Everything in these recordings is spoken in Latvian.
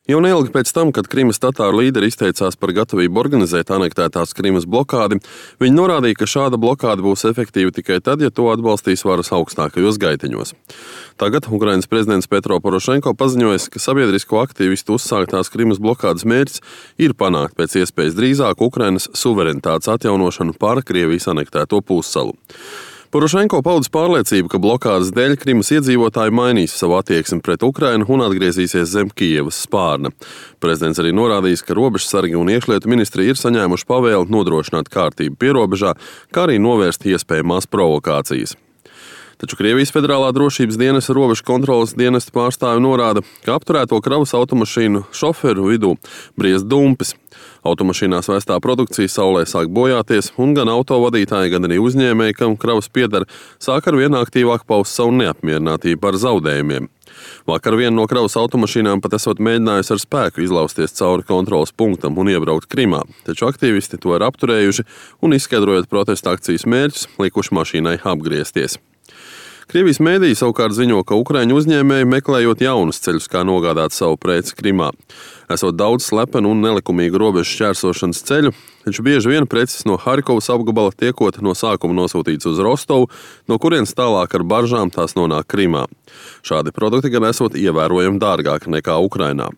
Jau neilgi pēc tam, kad Krimas tatāru līderi izteicās par gatavību organizēt anektētās Krimas blokādi, viņi norādīja, ka šāda blokāde būs efektīva tikai tad, ja to atbalstīs varas augstākajos gaiteņos. Tagad Ukrainas prezidents Petro Porošenko paziņoja, ka sabiedrisko aktīvistu uzsāktās Krimas blokādes mērķis ir panākt pēc iespējas drīzāk Ukrainas suverenitātes atjaunošanu pār Krievijas anektēto pussalu. Porošenko paudis pārliecību, ka blokādes dēļ Krimas iedzīvotāji mainīs savu attieksmi pret Ukrainu un atgriezīsies zem Kijevas spārna. Prezidents arī norādījis, ka robežsargi un iekšlietu ministri ir saņēmuši pavēli nodrošināt kārtību pierobežā, kā arī novērst iespējamās provokācijas. Taču Krievijas Federālā drošības dienesta robežu kontroles dienesta pārstāvi norāda, ka apturēto kravas automašīnu šoferu vidū briest dumpis. Automašīnās vēstā produkcija saulē sāk bojāties, un gan autovadītāji, gan arī uzņēmēji, kam kravas pieder, sāk ar vien aktīvāk paust savu neapmierinātību par zaudējumiem. Vakar viena no kravas automašīnām pat esot mēģinājusi ar spēku izlausties cauri kontroles punktam un iebraukt Krimā, taču aktīvisti to ir apturējuši un, izskaidrojot protesta akcijas mērķus, likuši mašīnai apgriezties. Krievijas mēdīji savukārt ziņo, ka ukraiņu uzņēmēji meklējot jaunus ceļus, kā nogādāt savu preci Krimā. Esot daudz slepenu un nelikumīgu robežu šķērsošanas ceļu, taču bieži vien preces no Harkovas apgabala tiekot no sākuma nosūtīts uz Rostovu, no kurienes tālāk ar baržām tās nonāk Krimā. Šādi produkti gan esot ievērojami dārgāki nekā Ukrainā.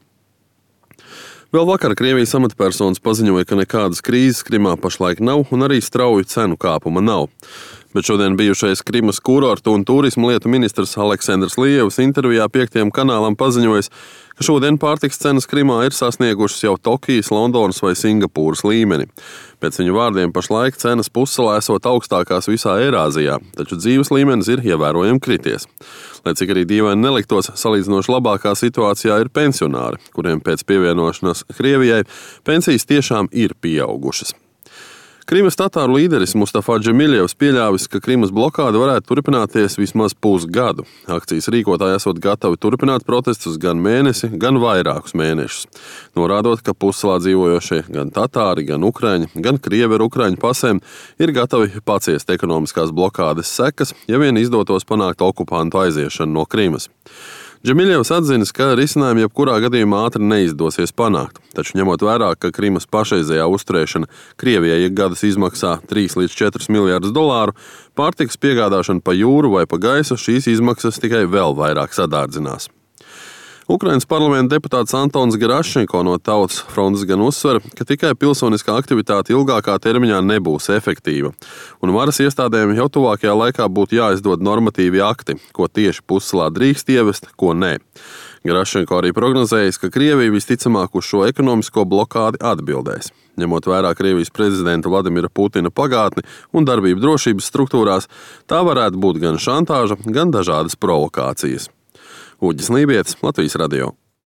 Vēl vakar Krievijas amatpersonas paziņoja, ka nekādas krīzes Krimā pašlaik nav un arī strauju cenu kāpuma nav. Bet šodien bijušais Krimas kurortu un turismu lietu ministrs Aleksandrs Lievs intervijā 5. kanālam paziņojis, ka šodien pārtikas cenas Krimā ir sasniegušas jau Tokijas, Londonas vai Singapūras līmeni. Pēc viņu vārdiem pašlaik cenas pussalā esot augstākās visā Eirāzijā, taču dzīves līmenis ir ievērojami krities. Lai cik arī dīvaini neliktos, salīdzinoši labākā situācijā ir pensionāri, kuriem pēc pievienošanās Krievijai pensijas tiešām ir pieaugušas. Krimas tatāru līderis Mustafa Džemiļevs pieļāvis, ka Krimas blokāde varētu turpināties vismaz pusgadu. Akcijas rīkotāji esot gatavi turpināt protestus gan mēnesi, gan vairākus mēnešus. Norādot, ka pussalā dzīvojošie gan tatāri, gan ukraiņi, gan krievi ar ukraiņu pasēm ir gatavi paciest ekonomiskās blokādes sekas, ja vien izdotos panākt okupantu aiziešanu no Krimas. Džemiļevs atzinis, ka risinājumi jebkurā gadījumā ātri neizdosies panākt, taču ņemot vērā, ka Krimas pašreizējā uzturēšana Krievijai ik gadus izmaksā 3 līdz 4 miljardus dolāru, pārtikas piegādāšana pa jūru vai pa gaisu šīs izmaksas tikai vēl vairāk sadārdzinās. Ukrainas parlamenta deputāts Antons Gerašenko no Tautas frontes gan uzsver, ka tikai pilsoniskā aktivitāte ilgākā termiņā nebūs efektīva, un varas iestādēm jau tuvākajā laikā būtu jāizdod normatīvi akti, ko tieši pussalā drīkst ievest, ko nē. Gerašenko arī prognozējis, ka Krievija visticamāk uz šo ekonomisko blokādi atbildēs. Ņemot vērā Krievijas prezidenta Vladimira Putina pagātni un darbību drošības struktūrās, tā varētu būt gan šantāža, gan dažādas provokācijas. Uģis Lībietis, Latvijas radio.